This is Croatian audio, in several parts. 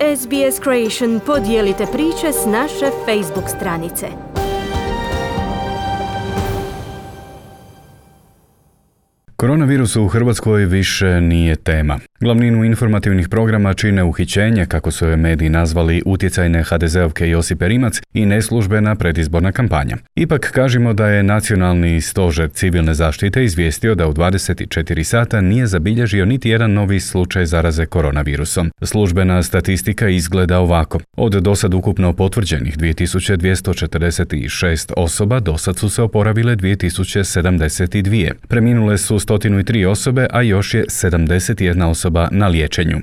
SBS Creation podijelite priče s naše Facebook stranice. Koronavirus u Hrvatskoj više nije tema. Glavninu informativnih programa čine uhićenje, kako su je mediji nazvali, utjecajne HDZ-ovke Josipe Rimac i neslužbena predizborna kampanja. Ipak kažemo da je Nacionalni stožer civilne zaštite izvijestio da u 24 sata nije zabilježio niti jedan novi slučaj zaraze koronavirusom. Službena statistika izgleda ovako. Od dosad ukupno potvrđenih 2246 osoba dosad su se oporavile 2072. Preminule su 103 osobe, a još je 71 osoba na liječenju.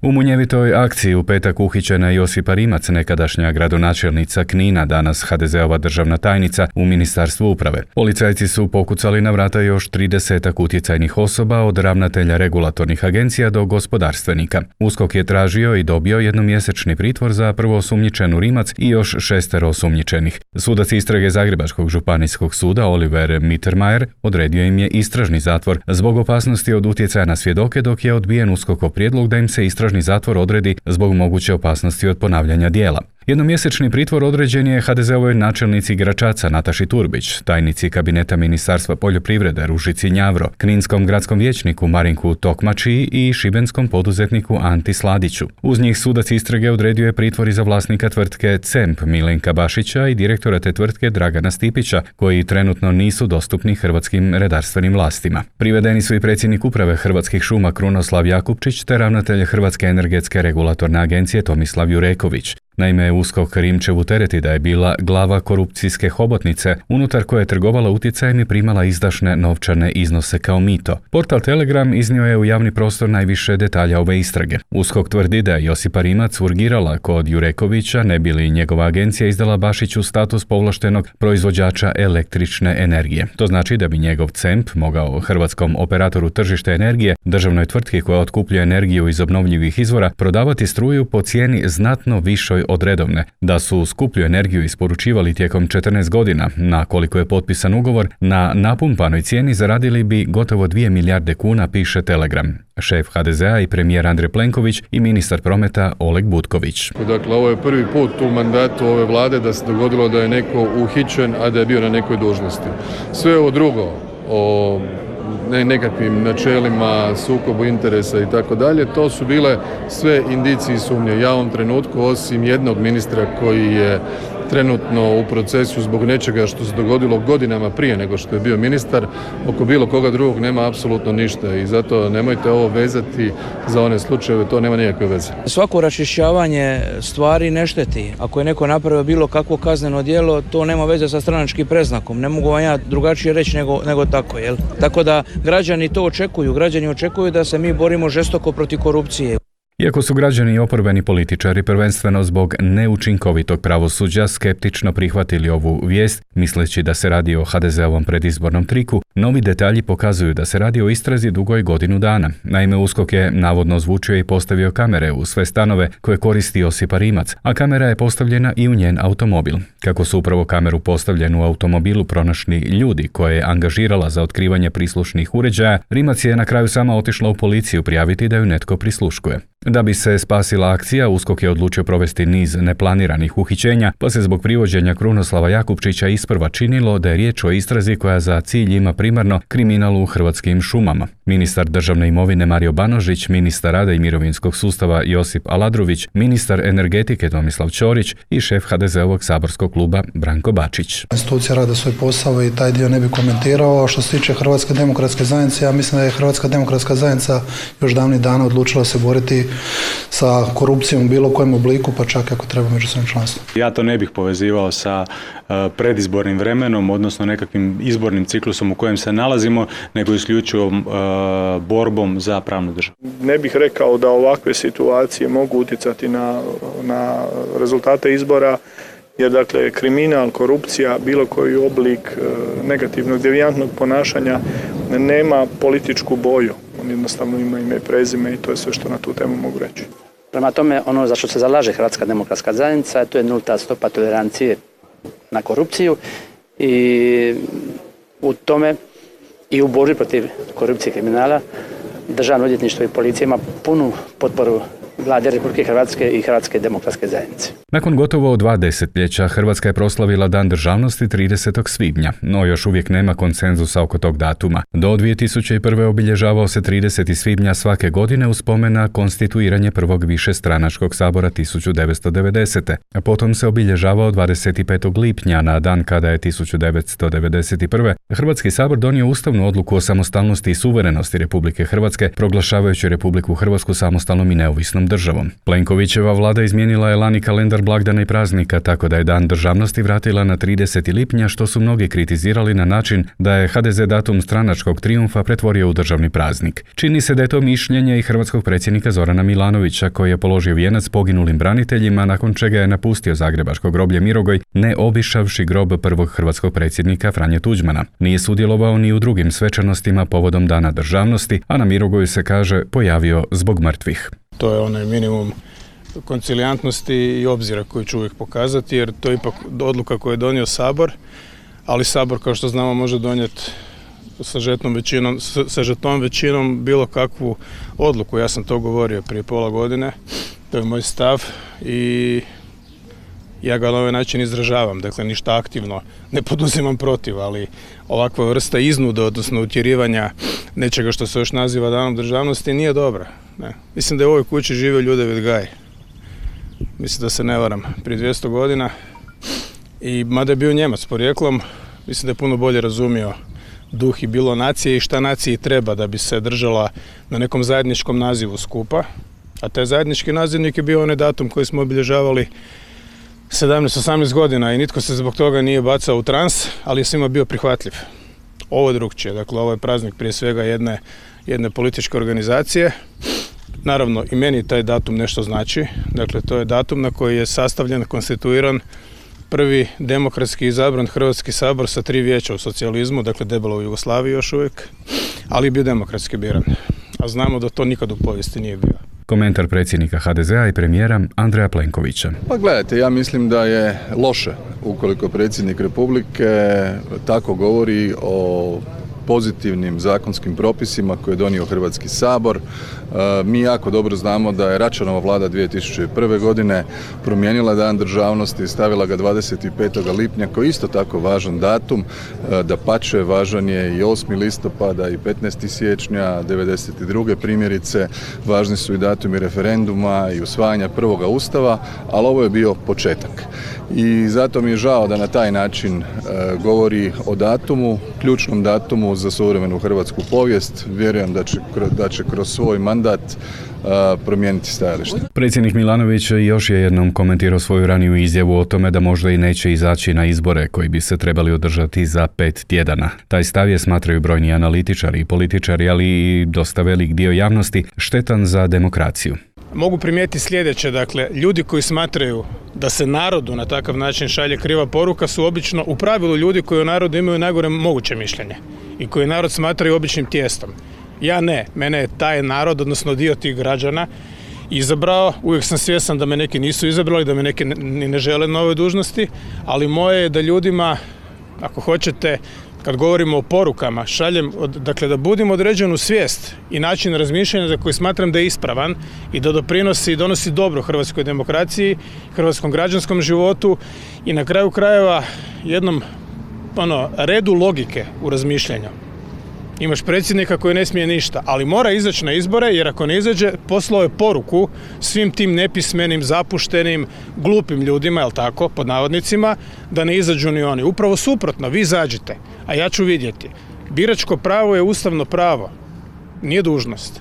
U munjevitoj akciji u petak uhićena Josipa Rimac, nekadašnja gradonačelnica Knina, danas HDZ-ova državna tajnica u Ministarstvu uprave. Policajci su pokucali na vrata još 30 utjecajnih osoba, od ravnatelja regulatornih agencija do gospodarstvenika. USKOK je tražio i dobio jednomjesečni pritvor za prvoosumnjičenu Rimac i još 6 osumnjičenih. Sudac istrage Zagrebačkog županijskog suda Oliver Mittermeier odredio im je istražni zatvor zbog opasnosti od utjecaja na svjedoke, dok je odbijen USKOK-ov prijedlog da im se istražni zatvor odredi zbog moguće opasnosti od ponavljanja djela. Jednomjesečni pritvor određen je HDZ-ovoj načelnici Gračaca Nataši Turbić, tajnici kabineta Ministarstva poljoprivrede Ružici Njavro, kninskom gradskom vijećniku Marinku Tokmači i šibenskom poduzetniku Anti Sladiću. Uz njih sudac istrage odredio je pritvor i za vlasnika tvrtke CEMP Milenka Bašića i direktora te tvrtke Dragana Stipića, koji trenutno nisu dostupni hrvatskim redarstvenim vlastima. Privedeni su i predsjednik uprave Hrvatskih šuma Krunoslav Jakupčić te ravnatelj Hrvatske energetske regulatorne agencije Tomislav Jureković. Naime, USKOK Rimčevu tereti da je bila glava korupcijske hobotnice, unutar koje je trgovala utjecajem i primala izdašne novčane iznose kao mito. Portal Telegram iznio je u javni prostor najviše detalja ove istrage. USKOK tvrdi da je Josipa Rimac urgirala kod Jurekovića, ne bi li njegova agencija izdala Bašiću status povlaštenog proizvođača električne energije. To znači da bi njegov CEMP mogao hrvatskom operatoru tržišta energije, državnoj tvrtki koja otkupljuje energiju iz obnovljivih izvora, prodavati struju po cijeni znatno višoj od redovne. Da su skuplju energiju isporučivali tijekom 14 godina, na koliko je potpisan ugovor, na napumpanoj cijeni zaradili bi gotovo 2 milijarde kuna, piše Telegram. Šef HDZ-a i premijer Andrej Plenković i ministar prometa Oleg Butković. Dakle, ovo je prvi put u mandatu ove vlade da se dogodilo da je neko uhićen, a da je bio na nekoj dužnosti. Sve ovo drugo o nekakvim načelima, sukobu interesa i tako dalje, to su bile sve indicije i sumnje. Ja u ovom trenutku, osim jednog ministra koji je trenutno u procesu zbog nečega što se dogodilo godinama prije nego što je bio ministar, oko bilo koga drugog nema apsolutno ništa i zato nemojte ovo vezati za one slučajeve, to nema nikakve veze. Svako raščišćavanje stvari ne šteti. Ako je neko napravio bilo kakvo kazneno djelo, to nema veze sa stranačkim predznakom. Ne mogu vam ja drugačije reći nego tako, jel? Tako da građani to očekuju. Građani očekuju da se mi borimo žestoko protiv korupcije. Iako su građani i oporbeni političari prvenstveno zbog neučinkovitog pravosuđa skeptično prihvatili ovu vijest, misleći da se radi o HDZ-ovom predizbornom triku, novi detalji pokazuju da se radi o istrazi dugoj godinu dana. Naime, USKOK je navodno ozvučio i postavio kamere u sve stanove koje koristi Josipa Rimac, a kamera je postavljena i u njen automobil. Kako su upravo kameru postavljenu u automobilu pronašli ljudi koje je angažirala za otkrivanje prislušnih uređaja, Rimac je na kraju sama otišla u policiju prijaviti da ju netko prisluškuje. Da bi se spasila akcija, USKOK je odlučio provesti niz neplaniranih uhićenja, pa se zbog privođenja Krunoslava Jakupčića isprva činilo da je riječ o istrazi koja za cilj ima primarno kriminal u Hrvatskim šumama. Ministar državne imovine Mario Banožić, ministar rada i mirovinskog sustava Josip Aladrović, ministar energetike Tomislav Ćorić i šef HDZ-ovog saborskog kluba Branko Bačić. Institucija rade svoj posao i taj dio ne bi komentirao. Što se tiče Hrvatske demokratske zajednice, ja mislim da je Hrvatska demokratska zajednica još davnih dana odlučila se boriti sa korupcijom u bilo kojem obliku, pa čak ako treba među svojim članstvom. Ja to ne bih povezivao sa predizbornim vremenom, odnosno nekakvim izbornim ciklusom u kojem se nalazimo, nego isključivo borbom za pravnu državu. Ne bih rekao da ovakve situacije mogu utjecati na rezultate izbora, jer dakle kriminal, korupcija, bilo koji oblik negativnog, devijantnog ponašanja nema političku boju. On jednostavno ima ime i prezime i to je sve što na tu temu mogu reći. Prema tome, ono za što se zalaže Hrvatska demokratska zajednica, to je nulta stopa tolerancije na korupciju i u tome i u borbi protiv korupcije i kriminala Državno odvjetništvo i policija ima punu potporu Vlade Republike Hrvatske i Hrvatske demokratske zajednice. Nakon gotovo 2 desetljeća, Hrvatska je proslavila Dan državnosti 30. svibnja, no još uvijek nema konsenzusa oko tog datuma. Do 2001. obilježavao se 30. svibnja svake godine u spomen na konstituiranje prvog višestranačkog sabora 1990. A potom se obilježavao 25. lipnja na dan kada je 1991. Hrvatski sabor donio ustavnu odluku o samostalnosti i suverenosti Republike Hrvatske, proglašavajući Republiku Hrvatsku samostalnom i neovisnom državom. Plenkovićeva vlada izmijenila je lani kalendar blagdana i praznika, tako da je Dan državnosti vratila na 30. lipnja, što su mnogi kritizirali na način da je HDZ datum stranačkog trijumfa pretvorio u državni praznik. Čini se da je to mišljenje i hrvatskog predsjednika Zorana Milanovića, koji je položio vijenac poginulim braniteljima, nakon čega je napustio zagrebačko groblje Mirogoj, ne obišavši grob prvog hrvatskog predsjednika Franje Tuđmana. Nije sudjelovao ni u drugim svečanostima povodom Dana državnosti, a na Mirogoju se kaže pojavio zbog mrtvih. To je onaj minimum koncilijantnosti i obzira koji ću uvijek pokazati, jer to je ipak odluka koju je donio Sabor, ali Sabor, kao što znamo, može donijeti sa žetnom većinom bilo kakvu odluku. Ja sam to govorio prije pola godine, to je moj stav i ja ga na ovaj način izražavam, dakle ništa aktivno ne poduzimam protiv, ali ovakva vrsta iznuda, odnosno utjerivanja nečega što se još naziva Danom državnosti nije dobra. Ne. Mislim da je u ovoj kući živio Ljudevit Gaj. Mislim da se ne varam, prije 200 godina. I mada je bio Njemac porijeklom, mislim da je puno bolje razumio duh i bilo nacije i šta naciji treba da bi se držala na nekom zajedničkom nazivu skupa. A taj zajednički nazivnik je bio onaj datum koji smo obilježavali 17-18 godina i nitko se zbog toga nije bacao u trans, ali je svima bio prihvatljiv. Ovo je drugčije, dakle ovo je praznik prije svega jedne političke organizacije. Naravno i meni taj datum nešto znači, dakle to je datum na koji je sastavljen, konstituiran prvi demokratski izabran Hrvatski sabor sa 3 vijeća u socijalizmu, dakle debelo u Jugoslaviji još uvijek, ali je bio demokratski biran. A znamo da to nikad u povijesti nije bio. Komentar predsjednika HDZ-a i premijera Andreja Plenkovića. Pa gledajte, ja mislim da je loše ukoliko predsjednik Republike tako govori o pozitivnim zakonskim propisima koje je donio Hrvatski sabor. Mi jako dobro znamo da je Račanova vlada 2001. godine promijenila Dan državnosti i stavila ga 25. lipnja koji je isto tako važan datum. Dapače, važan je i 8. listopada i 15. siječnja 92. primjerice. Važni su i datumi referenduma i usvajanja prvoga ustava, ali ovo je bio početak. I zato mi je žao da na taj način govori o datumu, ključnom datumu za suvremenu hrvatsku povijest. Vjerujem da će kroz svoj mandat promijeniti stajalište. Predsjednik Milanović još je jednom komentirao svoju raniju izjavu o tome da možda i neće izaći na izbore koji bi se trebali održati za 5 tjedana. Taj stav je, smatraju brojni analitičari i političari, ali i dosta velik dio javnosti, štetan za demokraciju. Mogu primijetiti sljedeće, dakle, ljudi koji smatraju da se narodu na takav način šalje kriva poruka su obično u pravilu ljudi koji o narodu imaju najgore moguće mišljenje i koji narod smatraju običnim tijestom. Ja ne, mene je taj narod, odnosno dio tih građana, izabrao. Uvijek sam svjestan da me neki nisu izabrali, da me neki ne žele na ovoj dužnosti, ali moje je da ljudima, ako hoćete, kad govorimo o porukama, šaljem, dakle da budim određenu svijest i način razmišljanja za koji smatram da je ispravan i da doprinosi i donosi dobro hrvatskoj demokraciji, hrvatskom građanskom životu i na kraju krajeva jednom redu logike u razmišljanju. Imaš predsjednika koji ne smije ništa, ali mora izaći na izbore, jer ako ne izađe, poslao je poruku svim tim nepismenim, zapuštenim, glupim ljudima, jel tako, pod navodnicima, da ne izađu ni oni. Upravo suprotno, vi izađite, a ja ću vidjeti. Biračko pravo je ustavno pravo, nije dužnost.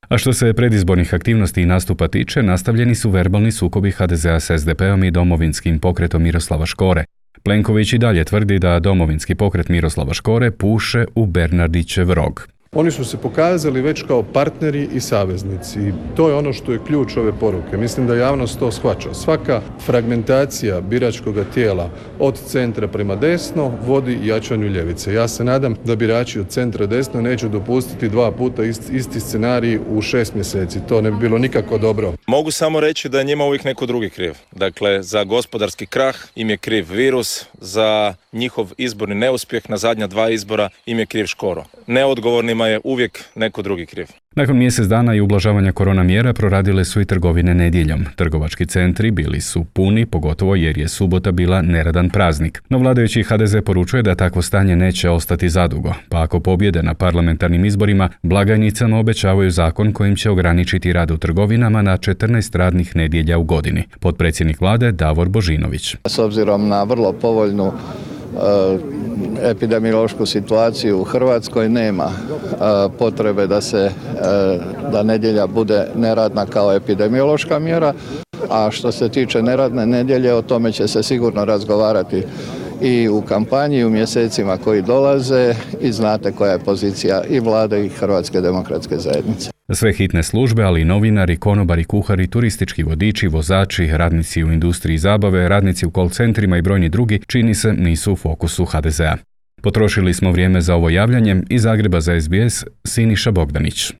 A što se predizbornih aktivnosti i nastupa tiče, nastavljeni su verbalni sukobi HDZ-a s SDP-om i Domovinskim pokretom Miroslava Škore. Plenković i dalje tvrdi da Domovinski pokret Miroslava Škore puše u Bernardićev rog. Oni su se pokazali već kao partneri i saveznici. I to je ono što je ključ ove poruke. Mislim da javnost to shvaća. Svaka fragmentacija biračkog tijela od centra prema desno vodi jačanju ljevice. Ja se nadam da birači od centra desno neće dopustiti 2 puta isti scenarij u 6 mjeseci. To ne bi bilo nikako dobro. Mogu samo reći da je njima uvijek neko drugi kriv. Dakle, za gospodarski krah im je kriv virus, za njihov izborni neuspjeh na zadnja 2 izbora im je kriv Škoro. Neodgovornim kojima je uvijek neko drugi kriv. Nakon mjesec dana i ublažavanja korona mjera proradile su i trgovine nedjeljom. Trgovački centri bili su puni, pogotovo jer je subota bila neradan praznik. No vladajući HDZ poručuje da takvo stanje neće ostati zadugo, pa ako pobjede na parlamentarnim izborima, blagajnicama obećavaju zakon kojim će ograničiti rad u trgovinama na 14 radnih nedjelja u godini. Potpredsjednik vlade Davor Božinović. S obzirom na vrlo povoljnu epidemiološku situaciju u Hrvatskoj nema potrebe da nedjelja bude neradna kao epidemiološka mjera, a što se tiče neradne nedjelje, o tome će se sigurno razgovarati i u kampanji i u mjesecima koji dolaze i znate koja je pozicija i vlade i Hrvatske demokratske zajednice. Sve hitne službe, ali i novinari, konobari, kuhari, turistički vodiči, vozači, radnici u industriji zabave, radnici u call centrima i brojni drugi, čini se, nisu u fokusu HDZ-a. Potrošili smo vrijeme za ovo javljanje. Iz Zagreba za SBS, Siniša Bogdanić.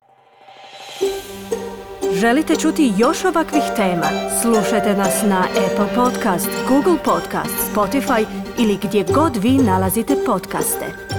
Želite čuti još ovakvih tema? Slušajte nas na Apple Podcast, Google Podcast, Spotify ili gdje god vi nalazite podcaste.